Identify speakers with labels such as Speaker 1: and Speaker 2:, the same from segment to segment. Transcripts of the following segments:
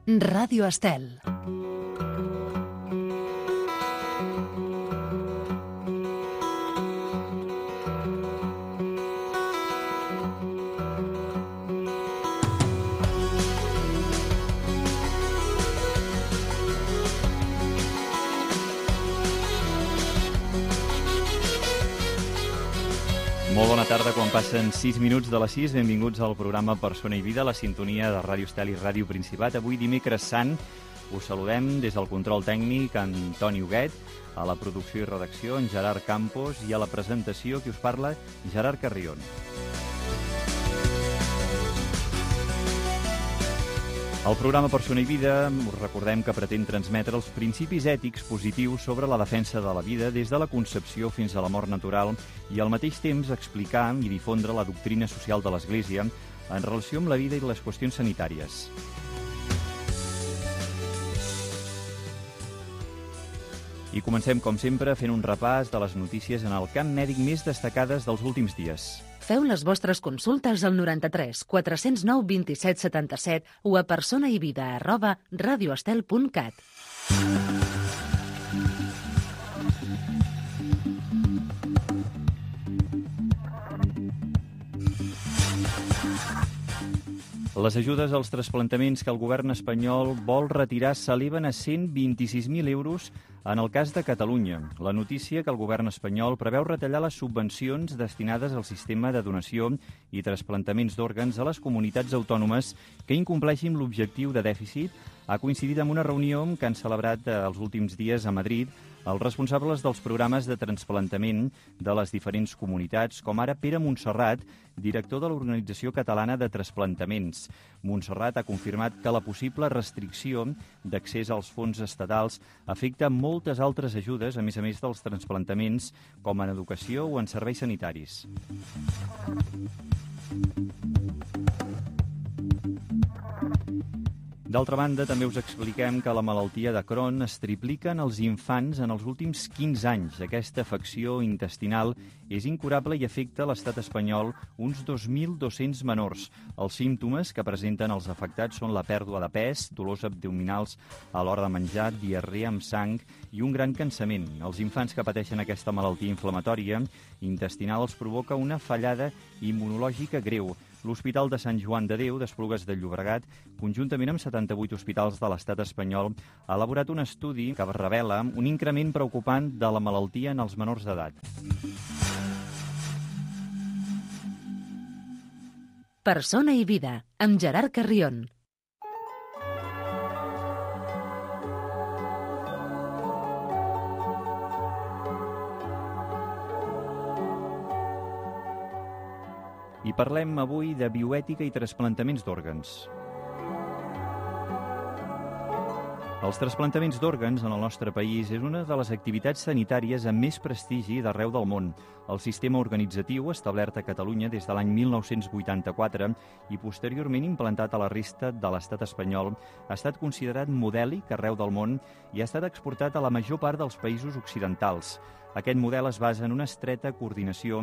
Speaker 1: Ràdio Estel.
Speaker 2: Molt bona tarda, quan passen 6 minuts de les 6. Benvinguts al programa Persona i Vida, la sintonia de Ràdio Estel i Ràdio Principat. Avui, dimecres sant, us saludem des del control tècnic Antoni Huguet, a la producció i redacció en Gerard Campos i a la presentació qui us parla, Gerard Carrion. El programa Persona i Vida, us recordem que pretén transmetre els principis ètics positius sobre la defensa de la vida des de la concepció fins a la mort natural i al mateix temps explicar i difondre la doctrina social de l'Església en relació amb la vida i les qüestions sanitàries. I comencem, com sempre, fent un repàs de les notícies en el camp mèdic més destacades dels últims dies.
Speaker 1: Feu les vostres consultes al 93 409 27 77 o a personaivida@radioestel.cat.
Speaker 2: Les ajudes als trasplantaments que el govern espanyol vol retirar s'eleven a 126.000 euros en el cas de Catalunya. La notícia que el govern espanyol preveu retallar les subvencions destinades al sistema de donació i trasplantaments d'òrgans a les comunitats autònomes que incompleixin l'objectiu de dèficit ha coincidit amb una reunió que han celebrat els últims dies a Madrid els responsables dels programes de trasplantament de les diferents comunitats, com ara Pere Montserrat, director de l'Organització Catalana de Trasplantaments. Montserrat ha confirmat que la possible restricció d'accés als fons estatals afecta moltes altres ajudes, a més dels trasplantaments, com en educació o en serveis sanitaris. D'altra banda, també us expliquem que la malaltia de Crohn es triplica en els infants en els últims 15 anys. Aquesta afecció intestinal és incurable i afecta a l'estat espanyol uns 2.200 menors. Els símptomes que presenten els afectats són la pèrdua de pes, dolors abdominals a l'hora de menjar, diarrea amb sang i un gran cansament. Els infants que pateixen aquesta malaltia inflamatòria intestinal els provoca una fallada immunològica greu. L'Hospital de Sant Joan de Déu d'Esplugues de Llobregat, conjuntament amb 78 hospitals de l'estat espanyol, ha elaborat un estudi que revela un increment preocupant de la malaltia en els menors d'edat.
Speaker 1: Persona i Vida, amb Gerard Carrion.
Speaker 2: I parlem avui de bioètica i trasplantaments d'òrgans. Els trasplantaments d'òrgans en el nostre país és una de les activitats sanitàries amb més prestigi d'arreu del món. El sistema organitzatiu, establert a Catalunya des de l'any 1984 i posteriorment implantat a la resta de l'estat espanyol, ha estat considerat modèlic arreu del món i ha estat exportat a la major part dels països occidentals. Aquest model es basa en una estreta coordinació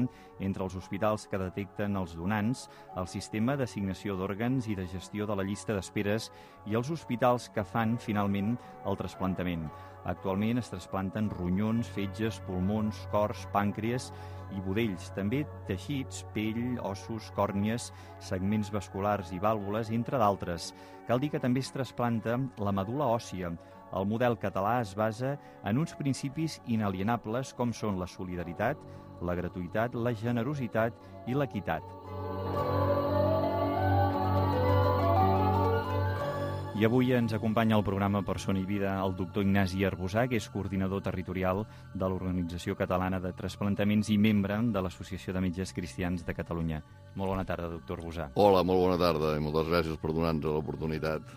Speaker 2: entre els hospitals que detecten els donants, el sistema d'assignació d'òrgans i de gestió de la llista d'esperes i els hospitals que fan, finalment, el trasplantament. Actualment es trasplanten ronyons, fetges, pulmons, cors, pàncreas i budells, també teixits, pell, ossos, còrnies, segments vasculars i vàlvules, entre d'altres. Cal dir que també es trasplanta la medul·la òssia. El model català es basa en uns principis inalienables com són la solidaritat, la gratuïtat, la generositat i l'equitat. I avui ens acompanya al programa Persona i Vida el doctor Ignasi Arbusà, que és coordinador territorial de l'Organització Catalana de Trasplantaments i membre de l'Associació de Metges Cristians de Catalunya. Molt bona tarda, doctor Arbusà.
Speaker 3: Hola, molt bona tarda i moltes gràcies per donar-nos l'oportunitat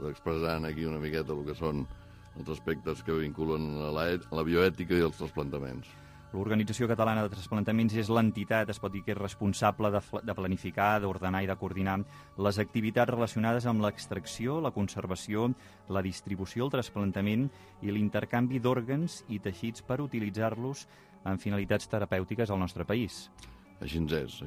Speaker 3: d'expressar aquí una miqueta el que són els aspectes que vinculen a la bioètica i els trasplantaments.
Speaker 2: L'Organització Catalana de Trasplantaments és l'entitat, es pot dir que és responsable de planificar, d'ordenar i de coordinar les activitats relacionades amb l'extracció, la conservació, la distribució, el trasplantament i l'intercanvi d'òrgans i teixits per utilitzar-los en finalitats terapèutiques al nostre país.
Speaker 3: Així és.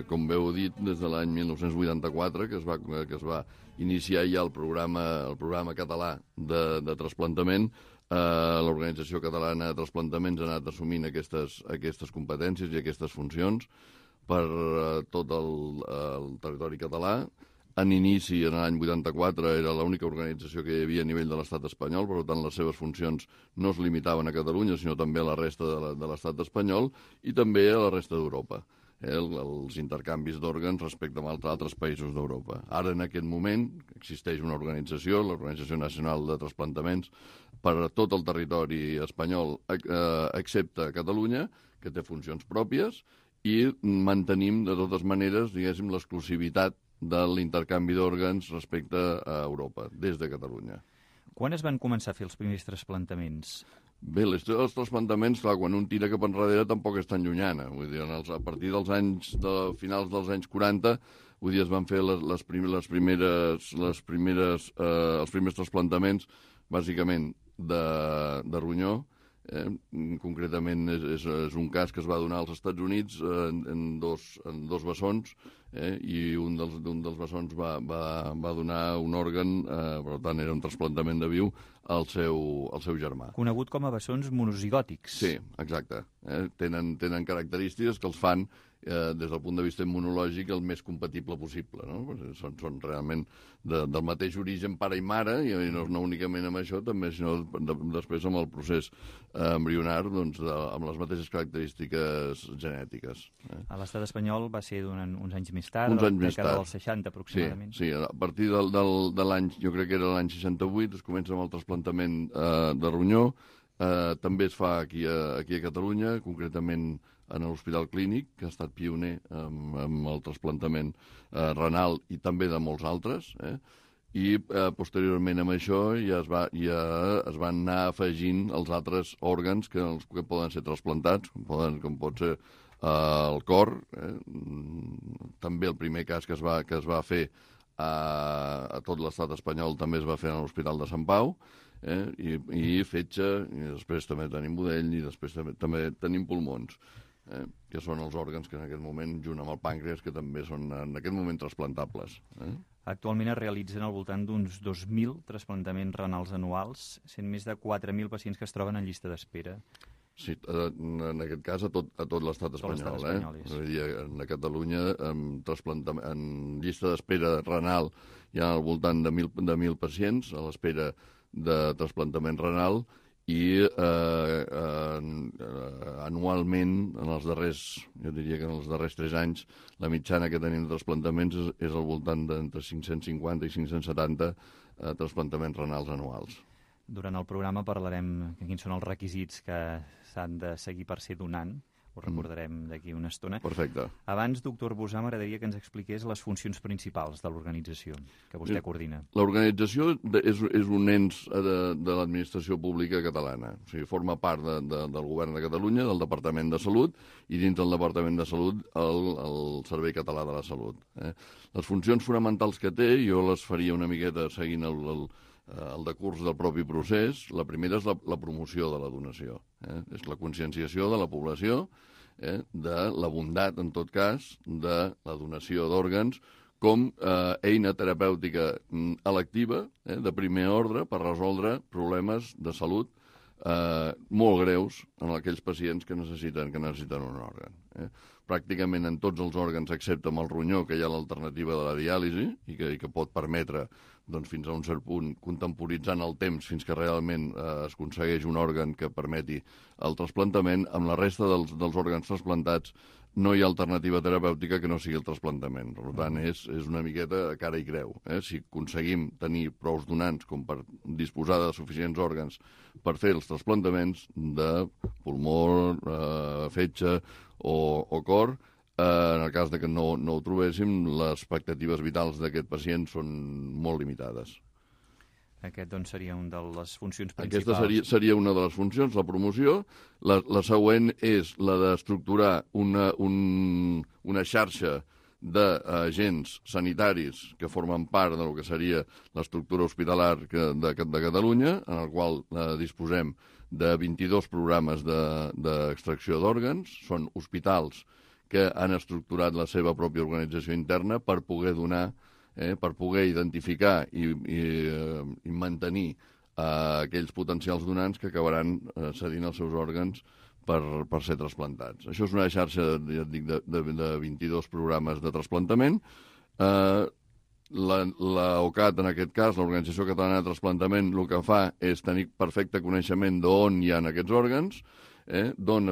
Speaker 3: Com bé heu dit, des de l'any 1984, que es va iniciar ja el programa català de trasplantament, l'Organització Catalana de Trasplantaments ha anat assumint aquestes competències i aquestes funcions per tot el territori català. En inici, en l'any 84, era l'única organització que hi havia a nivell de l'estat espanyol, per tant, les seves funcions no es limitaven a Catalunya, sinó també a la resta de l'estat espanyol i també a la resta d'Europa. Els intercanvis d'òrgans respecte a altres països d'Europa. Ara, en aquest moment, existeix una organització, l'Organització Nacional de Trasplantaments, per a tot el territori espanyol, excepte Catalunya, que té funcions pròpies, i mantenim, de totes maneres, diguéssim, l'exclusivitat de l'intercanvi d'òrgans respecte a Europa, des de Catalunya.
Speaker 2: Quan es van començar a fer els primers trasplantaments?
Speaker 3: Bé, els trasplantaments, clar, quan un tira cap enrere tampoc és tan llunyana. Vull dir, a partir finals dels anys 40, vull dir, es van fer els primers trasplantaments, bàsicament, de ronyó. Concretament és un cas que es va donar als Estats Units en dos bessons, i un dels bessons va donar un òrgan, per tant era un trasplantament de viu, al seu germà.
Speaker 2: Conegut com a bessons monozigòtics.
Speaker 3: Sí, exacte. Tenen característiques que els fan, des del punt de vista immunològic, el més compatible possible. No? Són realment del mateix origen pare i mare, i no únicament amb això, també, sinó després amb el procés embrionar, doncs, amb les mateixes característiques genètiques.
Speaker 2: A l'estat espanyol va ser durant uns anys més tard, a la dècada dels 60 aproximadament.
Speaker 3: Sí, a partir de l'any, jo crec que era l'any 68, es comença amb el trasplantament de ronyó. També es fa aquí a Catalunya, concretament en l'Hospital Clínic, que ha estat pioner amb el trasplantament renal i també de molts altres. I posteriorment amb això ja es van anar afegint els altres òrgans que poden ser trasplantats, com pot ser el cor. També el primer cas que es va fer a tot l'estat espanyol també es va fer a l'Hospital de Sant Pau, i fetge, i després també tenim budell, i després també tenim pulmons, que són els òrgans que en aquest moment, junt amb el pàncreas, que també són en aquest moment trasplantables.
Speaker 2: Actualment es realitzen al voltant d'uns 2.000 trasplantaments renals anuals, sent més de 4.000 pacients que es troben en llista d'espera.
Speaker 3: Sí, en aquest cas a tot l'estat espanyol. A Catalunya, en llista d'espera renal, hi ha al voltant de 1.000 pacients a l'espera de trasplantament renal, i anualment, jo diria que en els darrers 3 anys, la mitjana que tenim de trasplantaments és al voltant d'entre 550 i 570 trasplantaments renals anuals.
Speaker 2: Durant el programa parlarem de quins són els requisits que s'han de seguir per ser donant. Ho recordarem d'aquí una estona.
Speaker 3: Perfecte.
Speaker 2: Abans, doctor Bosà, m'agradaria que ens expliqués les funcions principals de l'organització que vostè coordina.
Speaker 3: L'organització és un ens de l'administració pública catalana. O sigui, forma part del govern de Catalunya, del Departament de Salut, i dins del Departament de Salut el Servei Català de la Salut. Les funcions fonamentals que té, jo les faria una miqueta seguint el decurs del propi procés. La primera és la promoció de la donació. És la conscienciació de la població de la bondat, en tot cas, de la donació d'òrgans com eina terapèutica electiva, de primer ordre, per resoldre problemes de salut molt greus en aquells pacients que necessiten un òrgan. Pràcticament en tots els òrgans, excepte amb el ronyó, que hi ha l'alternativa de la diàlisi i que pot permetre, doncs, fins a un cert punt, contemporitzant el temps fins que realment es aconsegueix un òrgan que permeti el trasplantament. Amb la resta dels òrgans trasplantats no hi ha alternativa terapèutica que no sigui el trasplantament. Per tant, és una miqueta cara i creu. Si aconseguim tenir prous donants com per disposar de suficients òrgans per fer els trasplantaments de pulmó, fetge o cor, en el cas que no ho trobéssim, les expectatives vitals d'aquest pacient són molt limitades.
Speaker 2: Aquest, doncs, seria una de les funcions principals.
Speaker 3: Aquesta seria una de les funcions, la promoció. La següent és la d'estructurar una xarxa d'agents sanitaris que formen part del que seria l'estructura hospitalar de Catalunya, en el qual disposem de 22 programes d'extracció d'òrgans. Són hospitals que han estructurat la seva pròpia organització interna per poder donar, per poder identificar i mantenir aquells potencials donants que acabaran cedint els seus òrgans per ser trasplantats. Això és una xarxa, ja et dic, de 22 programes de trasplantament. L'OCAT, en aquest cas, l'Organització Catalana de Trasplantament, el que fa és tenir perfecte coneixement d'on hi ha aquests òrgans, d'on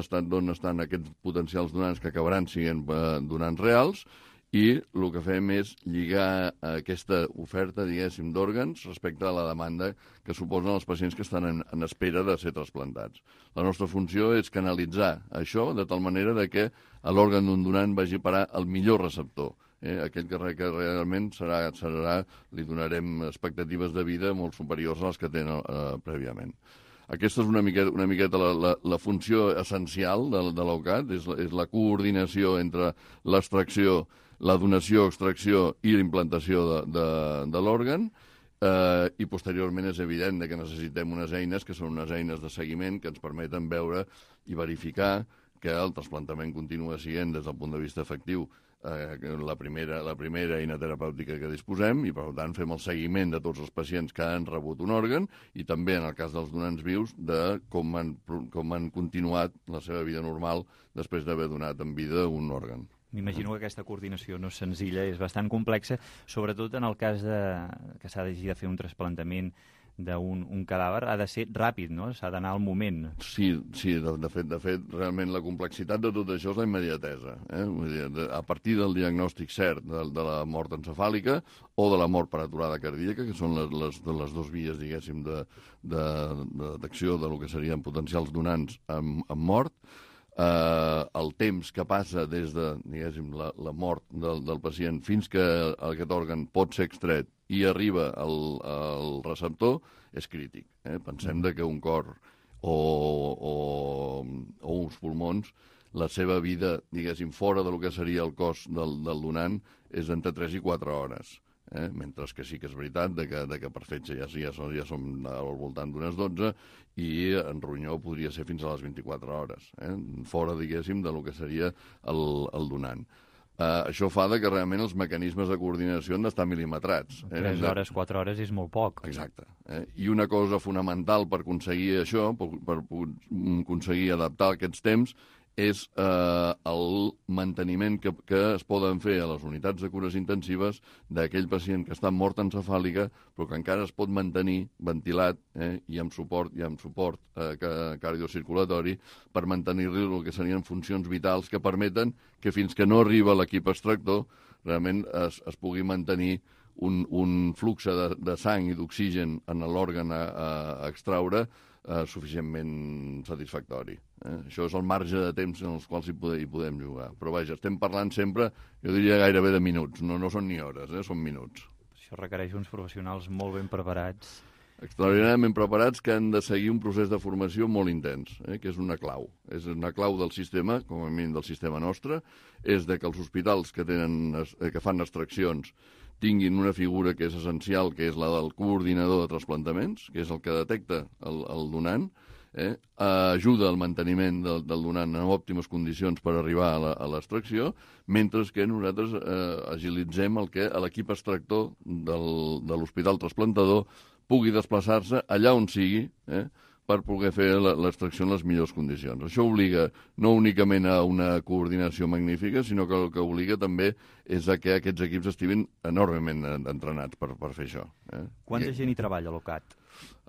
Speaker 3: estan aquests potencials donants que acabaran sent donants reals, i el que fem és lligar aquesta oferta, diguéssim, d'òrgans respecte a la demanda que suposen els pacients que estan en espera de ser trasplantats. La nostra funció és canalitzar això de tal manera que l'òrgan d'un donant vagi a parar al millor receptor. Aquell que realment li donarem expectatives de vida molt superiors a les que tenen prèviament. Aquesta és una miqueta la funció essencial de l'OCAT, és la coordinació entre l'extracció, la donació, extracció i l'implantació de l'òrgan, i posteriorment és evident que necessitem unes eines que són unes eines de seguiment que ens permeten veure i verificar que el trasplantament continua sent, des del punt de vista efectiu, la primera eina terapèutica que disposem, i per tant fem el seguiment de tots els pacients que han rebut un òrgan, i també en el cas dels donants vius de com han continuat la seva vida normal després d'haver donat en vida un òrgan.
Speaker 2: M'imagino que aquesta coordinació no és senzilla, és bastant complexa, sobretot en el cas que s'ha de fer un trasplantament d'un cadàver, ha de ser ràpid, no? S'ha d'anar al moment.
Speaker 3: Sí, de fet, realment la complexitat de tot això és la immediatesa. Vull dir, a partir del diagnòstic cert de la mort encefàlica o de la mort per aturada cardíaca, que són les dues vies, diguéssim, d'acció del que serien potencials donants amb mort, el temps que passa des de, diguéssim, la mort del pacient fins que aquest òrgan pot ser extret i arriba al receptor és crític. Pensem que un cor o uns pulmons, la seva vida, diguéssim, fora del que seria el cos del donant és entre 3 i 4 hores. Mentre que sí que és veritat que per fetge ja som al voltant d'unes 12 i en ronyó podria ser fins a les 24 hores, fora, diguéssim, del que seria el donant. Això fa que realment els mecanismes de coordinació han d'estar mil·limetrats.
Speaker 2: 3 hores, 4 hores és molt poc.
Speaker 3: Exacte. I una cosa fonamental per aconseguir això, per aconseguir adaptar aquests temps, és el manteniment que es poden fer a les unitats de cures intensives d'aquell pacient que està en mort encefàlica però que encara es pot mantenir ventilat i amb suport cardiocirculatori per mantenir-li el que serien funcions vitals que permeten que fins que no arriba l'equip extractor realment es pugui mantenir un flux de sang i d'oxigen en l'òrgan a extraure suficientment satisfactori. Això és el marge de temps en els quals hi podem jugar. Però vaja, estem parlant sempre, jo diria gairebé de minuts, no són ni hores, són minuts.
Speaker 2: Això requereix uns professionals molt ben preparats.
Speaker 3: Extraordinàriament preparats que han de seguir un procés de formació molt intens, que és una clau. És una clau del sistema, com a mínim del sistema nostre, és que els hospitals que fan extraccions tinguin una figura que és essencial, que és la del coordinador de trasplantaments, que és el que detecta el donant, ajuda al manteniment del donant en òptimes condicions per arribar a l'extracció, mentre que nosaltres agilitzem que l'equip extractor de l'hospital trasplantador pugui desplaçar-se allà on sigui per poder fer l'extracció en les millors condicions. Això obliga no únicament a una coordinació magnífica, sinó que el que obliga també és que aquests equips estiguin enormement entrenats per fer això.
Speaker 2: Quanta gent hi treballa a l'OCAT?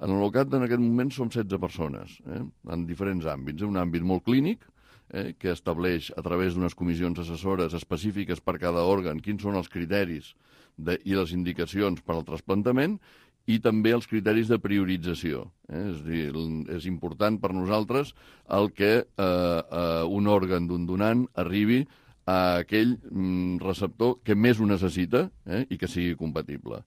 Speaker 3: En l'OCAT en aquest moment som 16 persones, en diferents àmbits. Un àmbit molt clínic, que estableix a través d'unes comissions assessores específiques per cada òrgan quins són els criteris i les indicacions per al trasplantament, i també els criteris de priorització. És a dir, és important per nosaltres que un òrgan d'un donant arribi a aquell receptor que més ho necessita i que sigui compatible.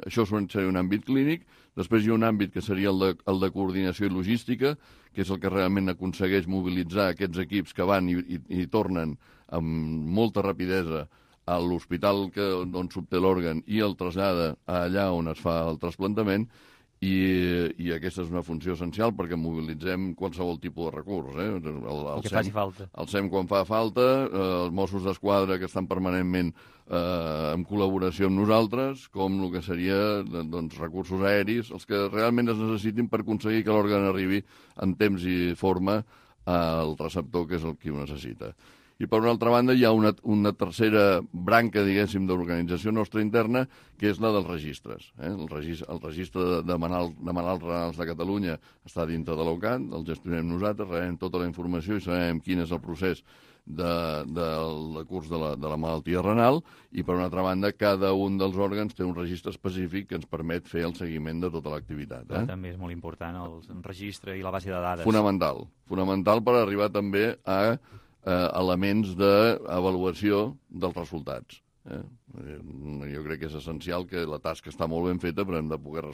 Speaker 3: Això seria un àmbit clínic. Després hi ha un àmbit que seria el de coordinació i logística, que és el que realment aconsegueix mobilitzar aquests equips que van i tornen amb molta rapidesa a l'hospital on s'obté l'òrgan i el trasllada allà on es fa el trasplantament, i aquesta és una funció essencial perquè mobilitzem qualsevol tipus de recurs.
Speaker 2: El que faci falta.
Speaker 3: El SEM quan fa falta, els Mossos d'Esquadra que estan permanentment en col·laboració amb nosaltres, com el que seria recursos aeris, els que realment es necessitin per aconseguir que l'òrgan arribi en temps i forma al receptor, que és el que ho necessita. I, per una altra banda, hi ha una tercera branca, diguéssim, d'organització nostra interna, que és la dels registres. El registre de malalts renals de Catalunya està dintre de l'OCAT, el gestionem nosaltres, rebem tota la informació i sabem quin és el procés del curs de la malaltia renal, i, per una altra banda, cada un dels òrgans té un registre específic que ens permet fer el seguiment de tota l'activitat.
Speaker 2: També és molt important el registre i la base de dades.
Speaker 3: Fonamental per arribar també a elements d'avaluació dels resultats. Jo crec que és essencial que la tasca està molt ben feta, però hem de poder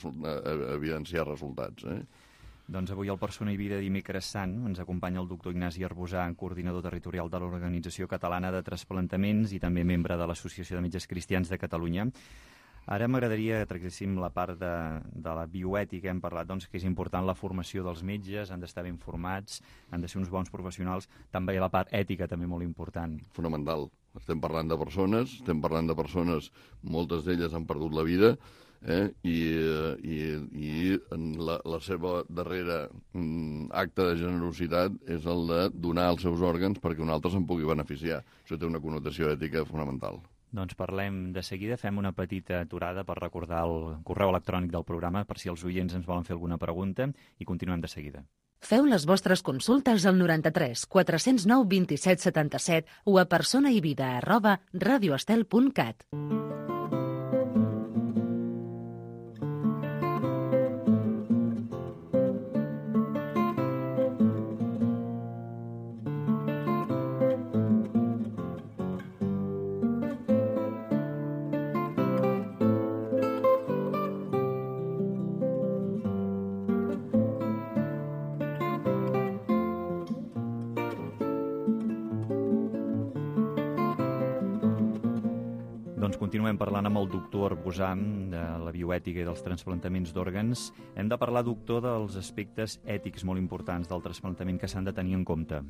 Speaker 3: evidenciar resultats.
Speaker 2: Doncs avui al Persona i Vida dimecres sant ens acompanya el doctor Ignasi Arbusà, coordinador territorial de l'Organització Catalana de Trasplantaments i també membre de l'Associació de Metges Cristians de Catalunya. Ara m'agradaria que tractéssim la part de la bioètica. Hem parlat que és important la formació dels metges, han d'estar ben formats, han de ser uns bons professionals. També la part ètica, també molt important.
Speaker 3: Fonamental. Estem parlant de persones, moltes d'elles han perdut la vida, i la seva darrera acte de generositat és el de donar els seus òrgans perquè un altre se'n pugui beneficiar. Això té una connotació ètica fonamental.
Speaker 2: Doncs parlem de seguida, fem una petita aturada per recordar el correu electrònic del programa per si els oients ens volen fer alguna pregunta i continuem de seguida.
Speaker 1: Feu les vostres consultes al 93 409 27 77 o a personaivida@radioestel.cat.
Speaker 2: Doncs continuem parlant amb el doctor Arbusà de la bioètica i dels transplantaments d'òrgans. Hem de parlar, doctor, dels aspectes ètics molt importants del trasplantament que s'han de tenir en compte.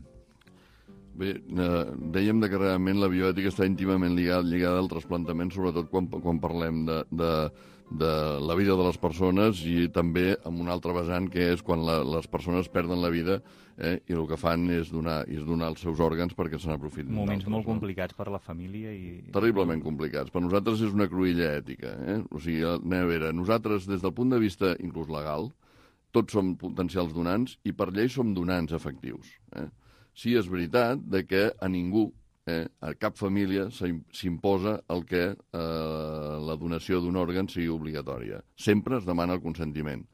Speaker 3: Bé, dèiem que realment la bioètica està íntimament lligada al trasplantament, sobretot quan parlem de la vida de les persones i també amb un altre vessant, que és quan les persones perden la vida i el que fan és donar els seus òrgans perquè se n'aprofitin.
Speaker 2: Moments molt complicats per la família.
Speaker 3: Terriblement complicats. Per nosaltres és una cruïlla ètica. O sigui, anem a veure, nosaltres, des del punt de vista inclús legal, tots som potencials donants i per llei som donants efectius. Sí, és veritat que a ningú, a cap família, s'imposa el que la donació d'un òrgan sigui obligatòria. Sempre es demana el consentiment.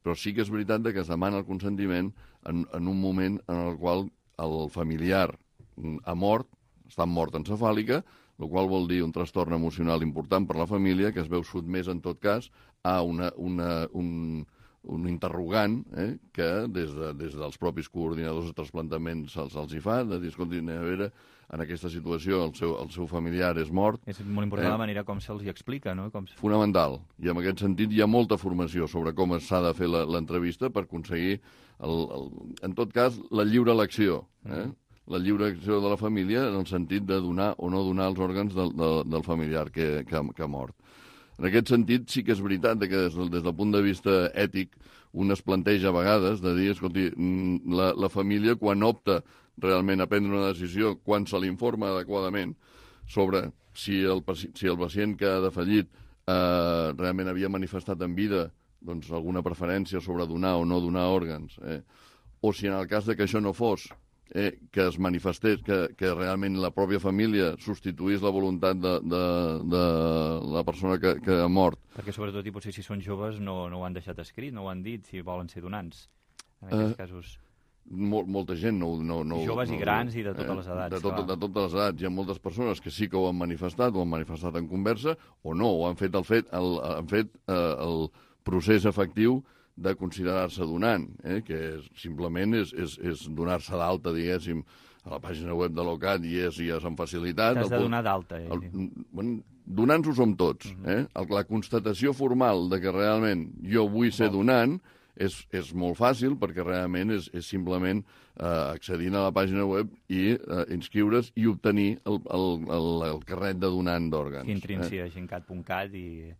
Speaker 3: Però sí que és veritat que es demana el consentiment en un moment en el qual el familiar ha mort, està en mort encefàlica, el qual vol dir un trastorn emocional important per la família, que es veu sotmès, en tot cas, a un interrogant que des dels propis coordinadors de trasplantament se'ls hi fa, de dir, escolti, a veure, en aquesta situació el seu familiar és mort.
Speaker 2: És molt important la manera com se'ls hi explica, no?
Speaker 3: Fonamental. I en aquest sentit hi ha molta formació sobre com s'ha de fer l'entrevista per aconseguir, en tot cas, la lliure elecció. La lliure elecció de la família en el sentit de donar o no donar els òrgans del familiar que ha mort. En aquest sentit, sí que és veritat que des del punt de vista ètic un es planteja a vegades de dir, escolti, la família quan opta realment a prendre una decisió, quan se l'informa adequadament sobre si el pacient que ha defallit realment havia manifestat en vida alguna preferència sobre donar o no donar òrgans, o si en el cas que això no fos, que es manifestés, que realment la pròpia família substituís la voluntat de la persona que ha mort.
Speaker 2: Perquè sobretot, i potser si són joves, no ho han deixat escrit, no ho han dit, si volen ser donants. En aquests casos...
Speaker 3: Molta gent no...
Speaker 2: Joves i grans i de totes les edats.
Speaker 3: De totes les edats. Hi ha moltes persones que sí que ho han manifestat en conversa, o no, o han fet el procés efectiu de considerar-se donant, que simplement és donar-se d'alta, diguéssim, a la pàgina web de l'OCAT hi és amb facilitat.
Speaker 2: T'has de donar d'alta.
Speaker 3: Donants ho som tots. La constatació formal de que realment jo vull ser donant és molt fàcil, perquè realment és simplement accedint a la pàgina web i inscriure's i obtenir el carnet de donant d'òrgans.
Speaker 2: Que entrin a gencat.cat i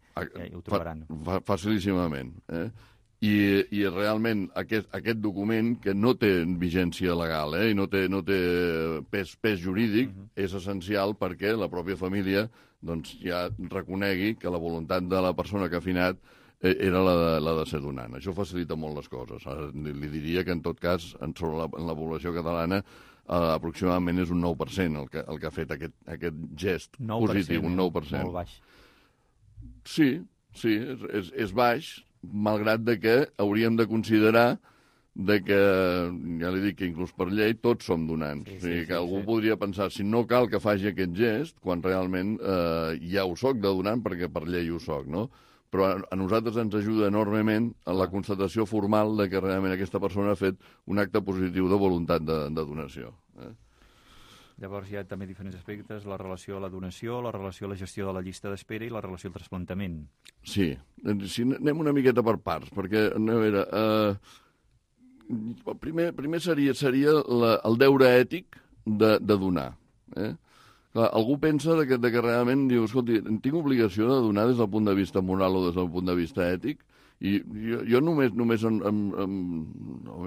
Speaker 2: ho trobaran.
Speaker 3: Facilíssimament. I realment aquest document, que no té vigència legal i no té pes jurídic, és essencial perquè la pròpia família ja reconegui que la voluntat de la persona que ha finat era la de ser donant. Això facilita molt les coses. Ara li diria que, en tot cas, en la població catalana, aproximadament és un 9% el que ha fet aquest gest positiu, un 9%.
Speaker 2: Molt baix.
Speaker 3: Sí, és baix, malgrat que hauríem de considerar que, ja li dic que inclús per llei, tots som donants. O sigui, que algú podria pensar, si no cal que faci aquest gest, quan realment ja ho soc de donant, perquè per llei ho soc, no? Però a nosaltres ens ajuda enormement a la constatació formal de que realment aquesta persona ha fet un acte positiu de voluntat de donació.
Speaker 2: Llavors hi ha també diferents aspectes, la relació a la donació, la relació a la gestió de la llista d'espera i la relació al trasplantament. Sí,
Speaker 3: anem una miqueta per parts, perquè, a veure, primer seria el deure ètic de donar. Clar, algú pensa que realment diu, escolti, tinc obligació de donar des del punt de vista moral o des del punt de vista ètic, i jo només a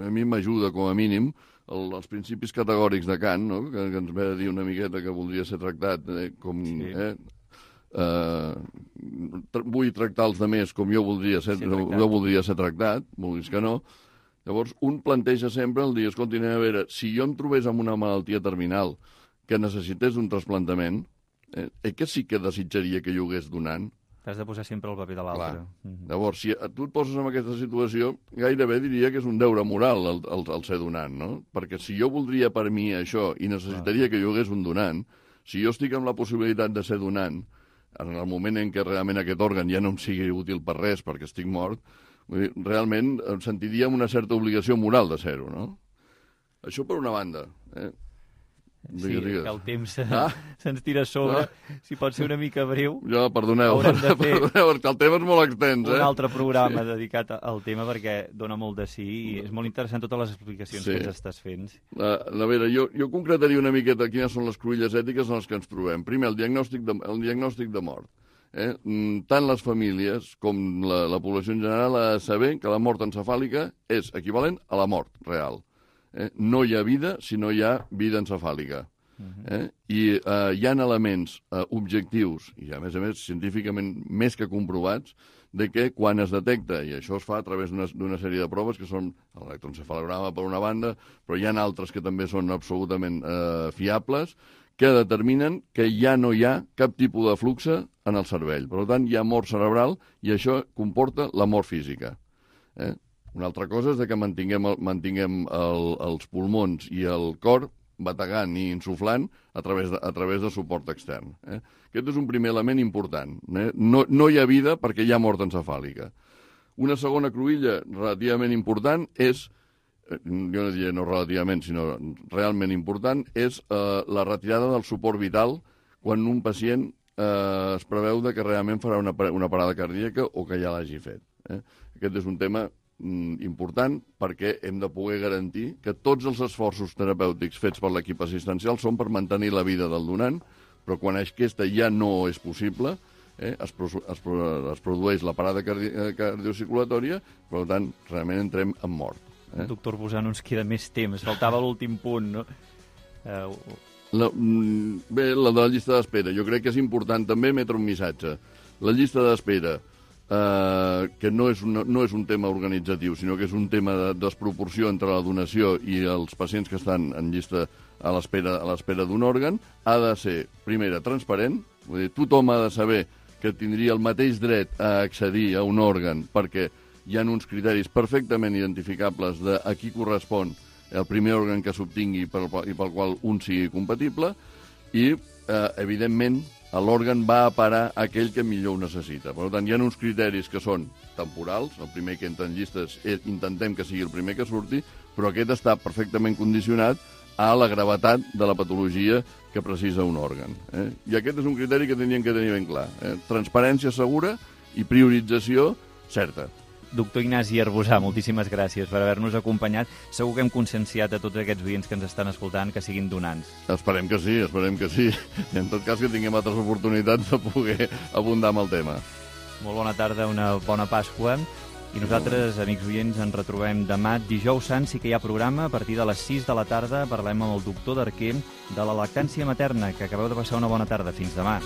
Speaker 3: mi m'ajuda, com a mínim, els principis categòrics de Kant, no? Que ens ve a dir una miqueta que voldria ser tractat com... vull tractar els altres com jo voldria ser tractat, vulguis que no. Llavors, un planteja sempre el dir, escolti, a veure, si jo em trobés amb una malaltia terminal que necessités un trasplantament, que sí que desitjaria que jo hagués donant.
Speaker 2: T'has de posar sempre el paper de l'altre.
Speaker 3: Llavors, si tu et poses en aquesta situació, gairebé diria que és un deure moral el ser donant, no? Perquè si jo voldria per mi això i necessitaria que jo hagués un donant, si jo estic amb la possibilitat de ser donant, en el moment en què realment aquest òrgan ja no em sigui útil per res perquè estic mort, realment em sentiria amb una certa obligació moral de ser-ho, no? Això per una banda,
Speaker 2: Sí, que el temps se'ns tira a sobre. Si pot ser una mica breu...
Speaker 3: Perdoneu, perquè el tema és molt extens.
Speaker 2: Un altre programa dedicat al tema, perquè dona molt de sí i és molt interessant totes les explicacions que ens estàs fent.
Speaker 3: A veure, jo concretaria una miqueta quines són les cruïlles ètiques en les que ens trobem. Primer, el diagnòstic de mort. Tant les famílies com la població en general ha de saber que la mort encefàlica és equivalent a la mort real. No hi ha vida si no hi ha vida encefàlica. I hi ha elements objectius, i a més científicament més que comprovats, de que quan es detecta, i això es fa a través d'una sèrie de proves, que són l'electroencefalograma per una banda, però hi ha altres que també són absolutament fiables, que determinen que ja no hi ha cap tipus de flux en el cervell. Per tant, hi ha mort cerebral i això comporta la mort física. Una altra cosa és que mantinguem els pulmons i el cor bategant i insuflant a través de suport extern. Aquest és un primer element important. No hi ha vida perquè hi ha mort encefàlica. Una segona cruïlla relativament important és, jo no diria no relativament, sinó realment important, és la retirada del suport vital quan un pacient es preveu que realment farà una parada cardíaca o que ja l'hagi fet. Aquest és un tema important perquè hem de poder garantir que tots els esforços terapèutics fets per l'equip assistencial són per mantenir la vida del donant, però quan aquesta ja no és possible, es produeix la parada cardiocirculatòria, per tant, realment entrem en mort.
Speaker 2: Doctor Busano, ens queda més temps, faltava l'últim punt, no?
Speaker 3: Bé, la de la llista d'espera. Jo crec que és important també emetre un missatge. La llista d'espera, que no és un tema organitzatiu, sinó que és un tema de desproporció entre la donació i els pacients que estan en llista a l'espera d'un òrgan, ha de ser, primera, transparent, vull dir, tothom ha de saber que tindria el mateix dret a accedir a un òrgan perquè hi ha uns criteris perfectament identificables de a qui correspon el primer òrgan que s'obtingui i pel qual un sigui compatible i, evidentment, l'òrgan va a parar a aquell que millor ho necessita. Per tant, hi ha uns criteris que són temporals, el primer que entra en llistes intentem que sigui el primer que surti, però aquest està perfectament condicionat a la gravetat de la patologia que precisa un òrgan. I aquest és un criteri que tenien que tenir ben clar. Transparència segura i priorització certa.
Speaker 2: Doctor Ignasi Arbusà, moltíssimes gràcies per haver-nos acompanyat. Segur que hem conscienciat a tots aquests oients que ens estan escoltant que siguin donants.
Speaker 3: Esperem que sí, esperem que sí. I en tot cas que tinguem altres oportunitats de poder abundar amb el tema.
Speaker 2: Molt bona tarda, una bona Pasqua. I nosaltres, amics oients, ens retrobem demà, dijous sant, sí que hi ha programa. A partir de les 6 de la tarda parlem amb el doctor Darquer de la lactància materna, que acabeu de passar una bona tarda. Fins demà.